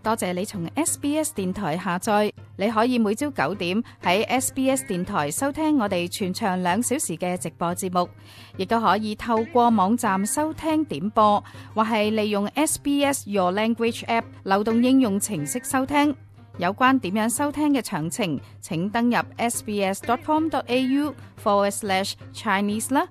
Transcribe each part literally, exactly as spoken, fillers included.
多謝你從 S B S 電台下載，你可以每朝九點喺 S B S 電台收聽我哋全長兩小時嘅直播節目，亦都可以透過網站收聽點播，或係利用 S B S Your Language App 流動應用程式收聽。有關點樣收聽嘅詳情，請登入 sbs.com.au forward slash Chinese 啦。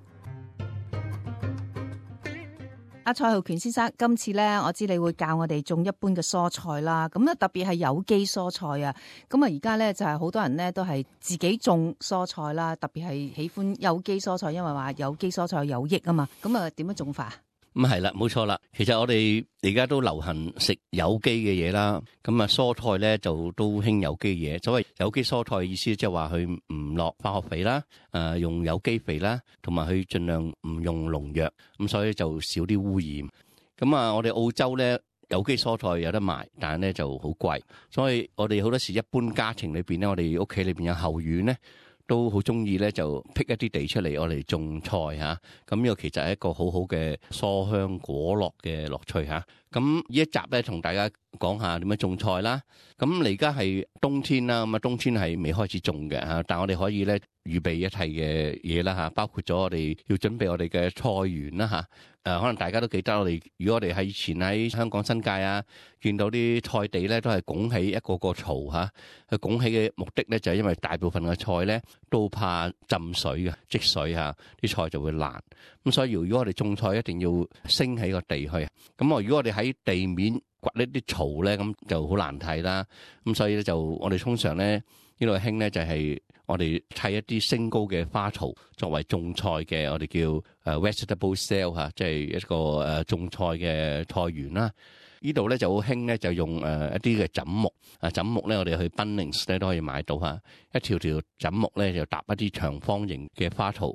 阿蔡浩權先生，今次咧，我知你會教我哋種一般嘅蔬菜啦，咁啊特別係有機蔬菜啊，咁啊而家咧就係好多人咧都係自己種蔬菜啦，特別係喜歡有機蔬菜，因為話有機蔬菜有益啊嘛，咁啊點樣種法？咁係啦，冇錯啦。其實我哋而家都流行食有機嘅嘢啦，咁啊蔬菜咧就都興有機嘢。所謂有機蔬菜嘅意思，即係話佢唔落化學肥啦，誒用有機肥啦，同埋佢盡量唔用農藥，咁所以就少啲污染。咁啊，我哋澳洲咧有機蔬菜有得賣，但係咧就好貴，所以我哋好多時一般家庭裏邊咧，我哋屋企裏邊有後院咧，都好中意咧，就辟一啲地出嚟，我哋種菜嚇。咁呢個其實係一個好好嘅蔬香果樂嘅樂趣嚇。咁呢一集咧，同大家講下點樣種菜啦。咁你而家係冬天啦，咁啊冬天係未開始種嘅嚇，但係我哋可以咧預備一切嘅嘢啦嚇，包括咗我哋要準備我哋嘅菜園啦嚇。誒，可能大家都記得我哋，如果我哋喺以前喺香港新界啊，見到啲菜地咧都係拱起一個個槽嚇。佢拱起嘅目的咧就係因為大部分嘅菜咧都怕浸水嘅積水嚇，啲菜就會爛。咁所以如果我哋種菜一定要升起個地去。咁我如果我哋喺地面掘呢啲槽咧，咁就好難睇啦。咁所以咧就我哋通常咧呢度興咧就係我哋砌一啲升高嘅花槽作為種菜嘅，我哋叫誒 vegetable cell 嚇，即係一個誒種菜嘅菜園啦。呢度咧就好興咧，就用誒一啲嘅枕木啊，枕木咧我哋去 Bunnings 咧都可以買到嚇，一條條枕木咧就搭一啲長方形嘅花槽，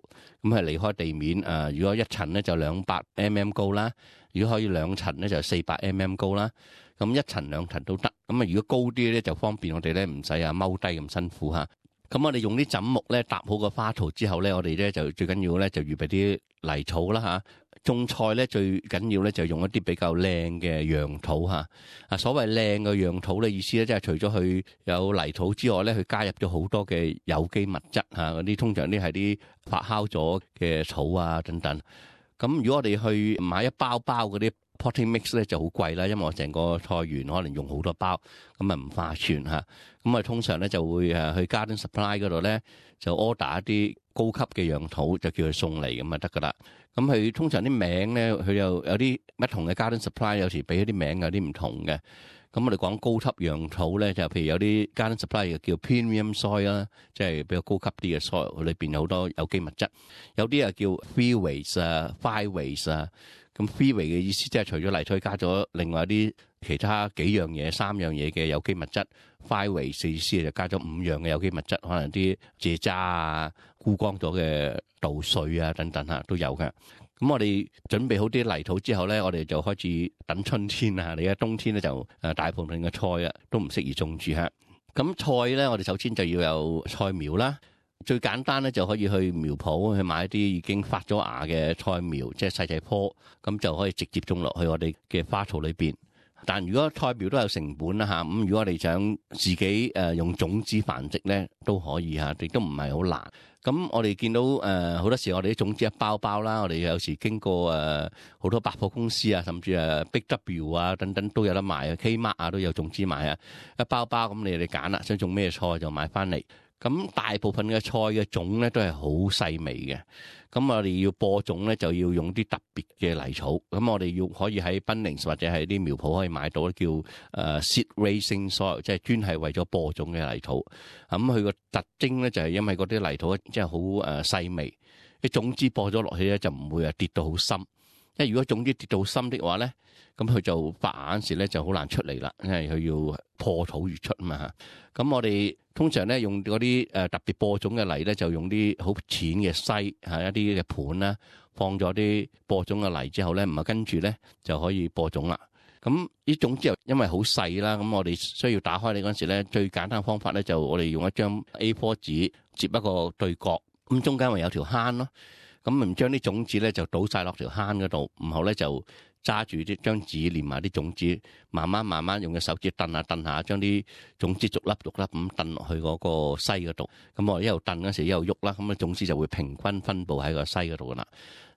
咁係離開地面誒。如果一層咧就兩百 mm 高啦，如果可以兩層咧就四百 mm 高啦。咁一層兩層都得。咁啊，如果高啲咧就方便我哋咧唔使啊踎低咁辛苦嚇。咁我哋用啲枕木咧搭好個花槽之後咧，我哋咧就最緊要咧就預備啲泥草啦嚇。種菜咧最緊要咧就用一啲比較靚嘅陽土嚇。啊，所謂靚嘅陽土咧意思咧，即係除咗佢有泥土之外咧，佢加入咗好多嘅有機物質嚇。嗰啲通常啲係啲發酵咗嘅草啊等等。咁如果我哋去買一包包嗰啲 potting mix 咧就好貴啦，因為我成個菜園可能用好多包，咁啊唔划算嚇。咁啊通常咧就會誒去 Garden Supply 嗰度咧就 order 一啲高級嘅樣土，就叫佢送嚟咁啊得噶啦。咁佢通常啲名咧，佢又有啲不同嘅 Garden Supply， 有時俾啲名有啲唔同嘅。咁我哋講高級樣土咧，就譬如有啲 Garden Supply 叫 Premium Soil 啦，即係比較高級啲嘅 soil，佢裏邊有好多有機物質。有啲啊叫 Three Ways 啊 ，Five Ways 啊。咁 Three Way 嘅意思即係除咗泥土加咗另外啲其他幾樣嘢、三樣嘢嘅有機物質。Five Ways 意思就加咗五樣嘅有機物質，可能啲蔗渣啊、枯乾咗嘅稻穗啊等等嚇都有嘅。咁我哋準備好啲泥土之後咧，我哋就開始等春天啊！你而家冬天咧就誒大部分嘅菜啊都唔適宜種住嚇。咁菜咧，我哋首先就要有菜苗啦。最簡單咧就可以去苗圃去買一啲已經發咗芽嘅菜苗，即係細細棵，咁就可以直接種落去我哋嘅花槽裏邊。但如果菜苗都有成本啦嚇，咁如果我哋想自己誒用種子繁殖咧都可以嚇，亦都唔係好難。咁我哋見到誒好多時我哋啲種子一包包啦，我哋有時經過誒好多百貨公司啊，甚至誒 Big W 啊等等都有得賣啊 ，Kmart 啊都有種子賣啊，一包包咁你哋揀啦，想種咩菜就買翻嚟。咁大部分嘅菜嘅種咧都係好細微嘅，咁我哋要播種咧就要用啲特別嘅泥草，咁我哋要可以喺 Bunnings 或者係啲苗圃可以買到叫誒 seed raising soil，即係專係為咗播種嘅泥土。咁佢個特徵咧就係因為嗰啲泥土即係好誒細微，啲種子播咗落去咧就唔會啊跌到好深，因為如果種子跌到深的話咧，咁佢就發芽嗰時咧就好難出嚟啦，因為佢要破土而出啊嘛。咁我哋通常咧用嗰啲誒特別播種嘅泥咧，就用啲好淺嘅篩嚇一啲嘅盤啦，放咗啲播種嘅泥之後咧，唔係跟住咧就可以播種啦。咁呢種之後因為好細啦，咁我哋需要打開你嗰陣時咧，最簡單嘅方法咧就我哋用一張 A 四 紙接一個對角，咁中間咪有條坑咯。咁唔將啲種子咧就倒晒落條坑嗰度，然後咧就揸住啲張紙連埋啲種子，慢慢慢慢用隻手指掟下掟下，將啲種子逐粒逐粒咁掟落去嗰個篩嗰度。咁我一路掟嗰時一路喐啦，咁啊種子就會平均分佈喺個篩嗰度噶啦。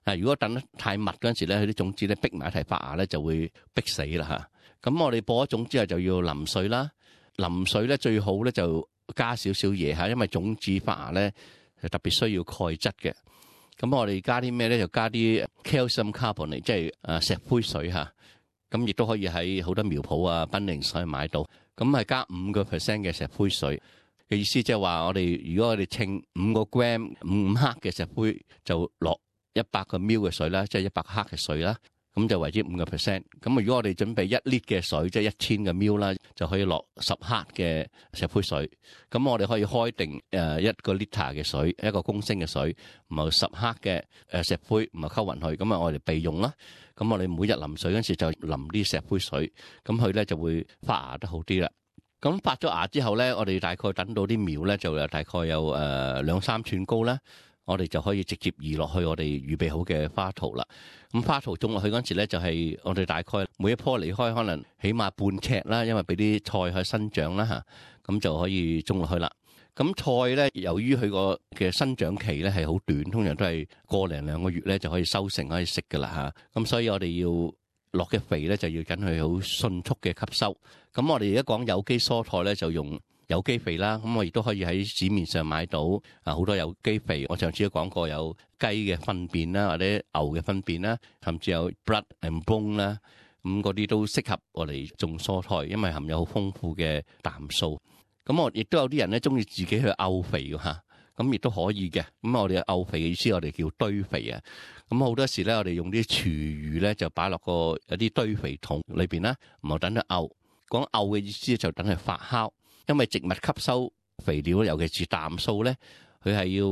啊，如果掟得太密嗰陣時咧，佢啲種子咧逼埋一齊發芽咧，就會逼死啦嚇。咁我哋播咗種之後就要淋水啦，淋水咧最好咧就加少少嘢嚇，因為種子發芽咧係特別需要鈣質嘅。咁我哋加啲咩咧？就加啲 calcium carbonate，即係誒石灰水嚇。咁亦都可以喺好多苗圃啊、賓寧所以買到。咁係加五個 percent 嘅石灰水嘅意思，即係話我哋如果我哋稱五個 gram 五五克嘅石灰，就落一百個 ml 嘅水啦，即係一百克嘅水啦。咁就為之五個 percent。咁如果我哋準備一 lit 嘅水，即係一千個 ml 啦，就可以落十克嘅石灰水。咁我哋可以開定誒一個 liter 嘅水，一個公升嘅水，唔係十克嘅誒石灰，唔係溝勻去。咁啊，我哋備用啦。咁我哋每日淋水嗰陣時就淋啲石灰水，咁佢咧就會發芽得好啲啦。咁發咗芽之後咧，我哋大概等到啲苗咧就有大概有誒兩三寸高啦。我哋就可以直接移落去我哋預備好嘅花槽啦。咁花槽種落去嗰陣時咧，就係我哋大概每一棵離開可能起碼半尺啦，因為俾啲菜去生長啦嚇，咁就可以種落去啦。咁菜咧，由於佢個嘅生長期咧係好短，通常都係個零兩個月咧就可以收成可以食噶啦嚇。咁所以我哋要落嘅肥咧就要緊佢好迅速嘅吸收。咁我哋而家講有機蔬菜咧就用有機肥啦，咁我亦都可以喺市面上買到啊好多有機肥。我上次都講過有雞嘅糞便啦，或者牛嘅糞便啦，甚至有 blood and bone 啦，咁嗰啲都適合我哋種蔬菜，因為含有好豐富嘅氮素。咁我亦都有啲人咧中意自己去漚肥㗎嚇，咁亦都可以嘅。咁我哋漚肥嘅意思，我哋叫堆肥啊。咁好多時咧，我哋用啲廚餘咧就擺落個有啲堆肥桶裏邊啦，唔好等佢漚。講漚嘅意思就等佢發酵。因為植物吸收肥料，尤其是氮素咧，佢係要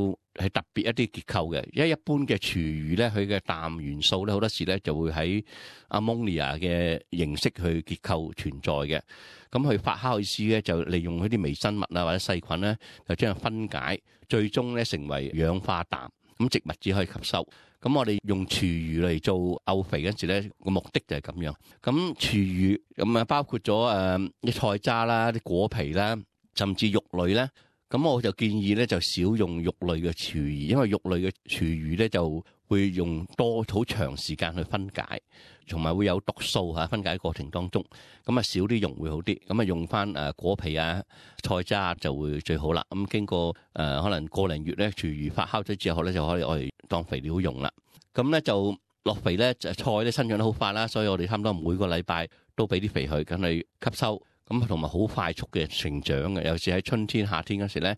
係特別一啲結構嘅。因為一般嘅廚餘咧，佢嘅氮元素咧，好多時咧就會喺 ammonia 嘅形式去結構存在嘅。咁佢發酵意思咧，就利用佢啲微生物啊或者細菌咧，就將佢分解，最終咧成為氧化氮。咁植物只可以吸收。咁我哋用廚餘嚟做漚肥嗰陣時咧，個目的就係咁樣。咁廚餘咁啊，包括咗誒啲菜渣啦、啲果皮啦，甚至肉類咧。咁我就建議咧，就少用肉類嘅廚餘，因為肉類嘅廚餘咧就會用多好長時間去分解，同埋會有毒素嚇分解過程當中。咁啊少啲用會好啲。咁啊用翻誒果皮啊、菜渣就會最好啦。咁經過誒、呃、可能個零月咧，廚餘發酵咗之後咧，就可以我哋當肥料用啦。咁咧就落肥咧，就菜咧生長得好快啦，所以我哋差唔多每個禮拜都俾啲肥佢，咁去吸收。咁同埋好快速嘅成長嘅，尤其是喺春天、夏天嗰時咧。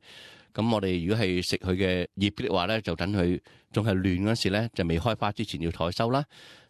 咁我哋如果係食佢嘅葉嘅話咧，就等佢仲係嫩嗰時咧，就未開花之前要採收啦。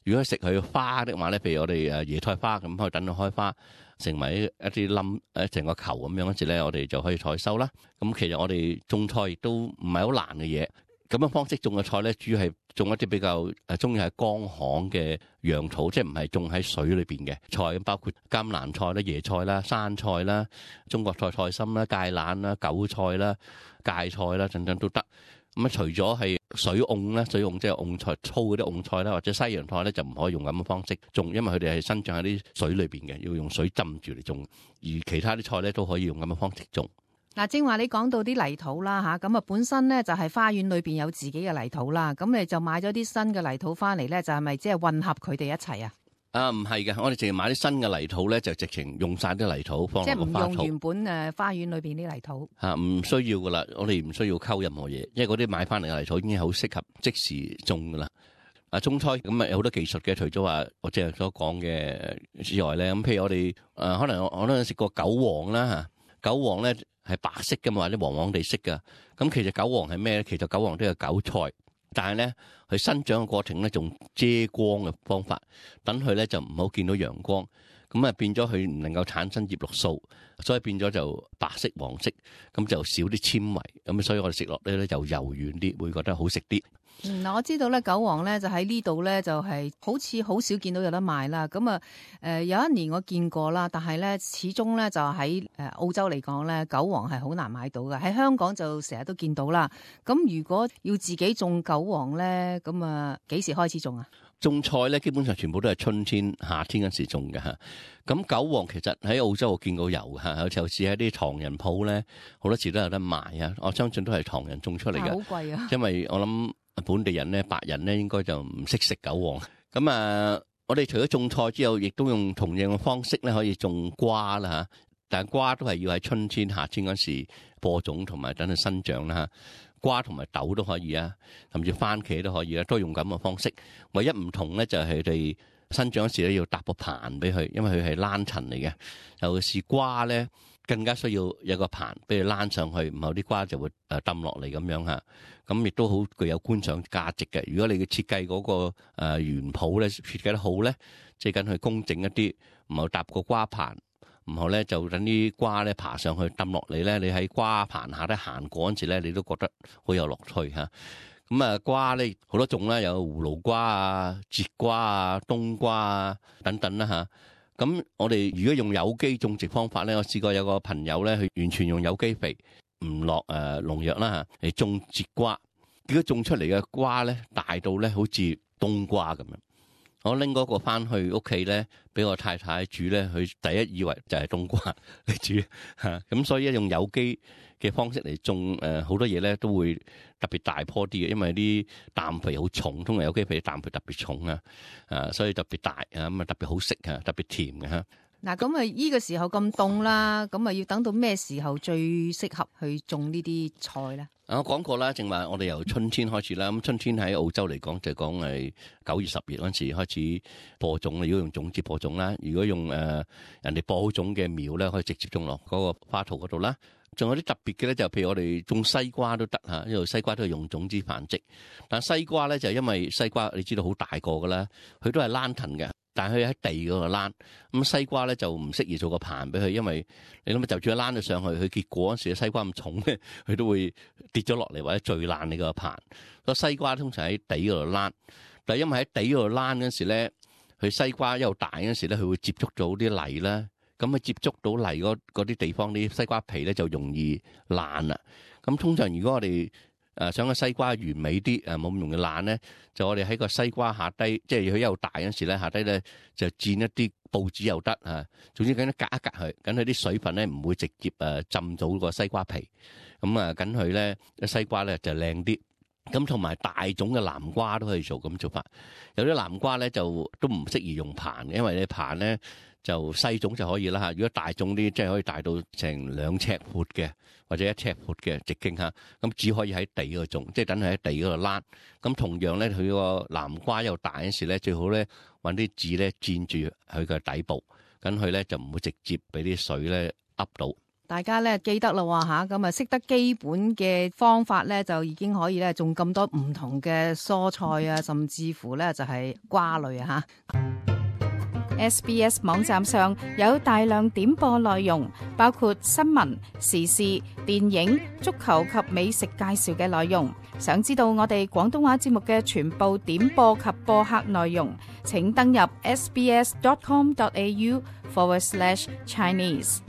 如果食佢花的話咧，譬如我哋誒椰菜花咁，可以等佢開花，成為一啲冧誒成個球咁樣嗰時咧，我哋就可以採收啦。咁其實我哋種菜亦都唔係好難嘅嘢。咁樣方式種嘅菜咧，主要係種一啲比較誒中意喺乾旱嘅陽土，即係唔係種喺水裏邊嘅菜，包括甘藍菜啦、椰菜啦、生菜啦、中國菜菜心啦、芥蘭啦、韭菜啦、芥菜啦等等都得。咁啊，除咗係水蕹咧，水蕹即係蕹菜粗嗰啲蕹菜啦，或者西洋菜咧，就唔可以用咁嘅方式種，因為佢哋係生長喺啲水裏邊嘅，要用水浸住嚟種。而其他啲菜咧都可以用咁嘅方式種。嗱，正話你講到啲泥土啦吓，咁啊本身咧就係花園裏邊有自己嘅泥土啦，咁你就買咗啲新嘅泥土翻嚟咧，就係咪即係混合佢哋一齊啊？啊，唔係嘅，我哋淨係買啲新嘅泥土咧，就直情用晒啲泥土放落個花槽。即係唔用原本誒花園裏邊啲泥土嚇，唔需要噶啦，我哋唔需要溝任何嘢，因為嗰啲買翻嚟嘅泥土已經好適合即時種噶啦。啊，種菜咁啊有好多技術嘅，除咗話我即係所講嘅之外咧，咁譬如我哋誒可能我都有食過韭黃啦嚇，韭黃咧係白色噶嘛，或者黃黃地色噶。咁其實韭黃係咩咧？其實韭黃都係韭菜。但係咧，佢生長嘅過程咧，仲遮光嘅方法，等佢咧就唔好見到陽光，咁啊變咗佢唔能夠產生葉綠素，所以變咗就白色黃色，咁就少啲纖維，咁所以我哋食落咧咧就柔軟啲，會覺得好食啲。嗯，嗱，我知道咧，韭黃咧就喺呢度咧，就係好似好少見到有得賣啦。咁啊，誒有一年我見過啦，但係咧始終咧就喺誒澳洲嚟講咧，韭黃係好難買到嘅。喺香港就成日都見到啦。咁如果要自己種韭黃咧，咁啊幾時開始種啊？種菜咧，基本上全部都係春天、夏天嗰時種嘅嚇。咁韭黃其實喺澳洲我見過有嚇，有時候試喺啲唐人鋪咧，好多時都有得賣啊。我相信都係唐人種出嚟嘅，好貴啊！因為我諗本地人咧、白人咧應該就唔識食韭黃。咁啊，我哋除咗種菜之後，亦都用同樣嘅方式咧，可以種瓜啦嚇。但係瓜都係要喺春天、夏天嗰時播種同埋等佢生長啦嚇。瓜同埋豆都可以啊，甚至番茄都可以啊，都用咁嘅方式。唯一唔同咧就係佢哋生長嗰時咧要搭個棚俾佢，因為佢係欄層嚟嘅。尤其是瓜咧，更加需要有個棚俾佢欄上去，然後啲瓜就會誒抌落嚟咁樣嚇。咁亦都好具有觀賞價值嘅。如果你嘅設計嗰個誒園圃咧設計得好咧，即係緊佢工整一啲，然後搭個瓜棚。然後咧就等啲瓜咧爬上去抌落嚟咧，你喺瓜棚下咧行過嗰陣時咧，你都覺得好有樂趣嚇。咁啊瓜咧好多種啦，有葫蘆瓜啊、節瓜啊、冬瓜啊等等啦嚇。咁我哋如果用有機種植方法咧，我試過有個朋友咧，佢完全用有機肥，唔落誒農藥啦嚇嚟種節瓜，結果種出嚟嘅瓜咧大到咧好似冬瓜咁樣。我拎嗰個翻去屋企咧，俾我太太煮咧，佢第一以為就係冬瓜嚟煮嚇，咁所以用有機嘅方式嚟種誒好多嘢咧，都會特別大棵啲嘅，因為啲氮肥好重，通常有機肥啲氮肥特別重啊，啊所以特別大啊，咁啊特別好食啊，特別甜嘅嚇。嗱，咁啊依個時候咁凍啦，咁啊要等到咩時候最適合去種呢啲菜咧？我講過啦，正話我哋由春天開始啦。咁春天喺澳洲嚟講就講係九月十月嗰陣時開始播種。如果用種子播種啦，如果用誒、呃、人哋播好種嘅苗咧，可以直接種落嗰個花槽嗰度啦。仲有啲特別嘅咧，就譬如我哋種西瓜都得嚇，因為西瓜都係用種子繁殖。但西瓜咧就因為西瓜你知道好大個噶啦，佢都係躝藤嘅。但係佢喺地嗰度躝，咁西瓜咧就唔適宜做個棚俾佢，因為你諗下就住佢躝咗上去，佢結果嗰時西瓜咁重咧，佢都會跌咗落嚟或者墜爛你個棚。個西瓜通常喺地嗰度躝，但係因為喺地嗰度躝嗰時咧，佢西瓜又大嗰時咧，佢會接觸到啲泥啦，咁啊接觸到泥嗰嗰啲地方，啲西瓜皮咧就容易爛啦。咁通常如果我哋誒想個西瓜完美啲，誒冇咁容易爛咧，就我哋喺個西瓜下低，即係佢又大嗰時咧，下低咧就墊一啲報紙又得嚇。總之緊隔一隔佢，緊佢啲水分咧唔會直接誒浸到個西瓜皮。咁啊，緊佢咧西瓜咧就靚啲。咁同埋大種嘅南瓜都可以做咁做法。有啲南瓜咧就都唔適宜用棚嘅，因為你棚咧就細種就可以啦嚇。如果大種啲，即係可以大到成兩尺闊嘅，或者一尺闊嘅直徑嚇，咁只可以喺地嗰度種，即係等佢喺地嗰度躝。咁同樣咧，佢個南瓜又大嗰時咧，最好咧揾啲紙咧墊住佢嘅底部，咁佢咧就唔會直接俾啲水咧噏到。大家咧記得啦喎嚇，咁啊識得基本嘅方法咧，就已經可以咧種咁多唔同嘅蔬菜啊，甚至乎咧就係瓜類啊嚇。S B S 網站上有大量點播內容，包括新聞、時事、電影、足球及美食介紹嘅內容。想知道我哋廣東話節目嘅全部點播及播客內容，請登入 sbs dot com dot a u forward slash Chinese。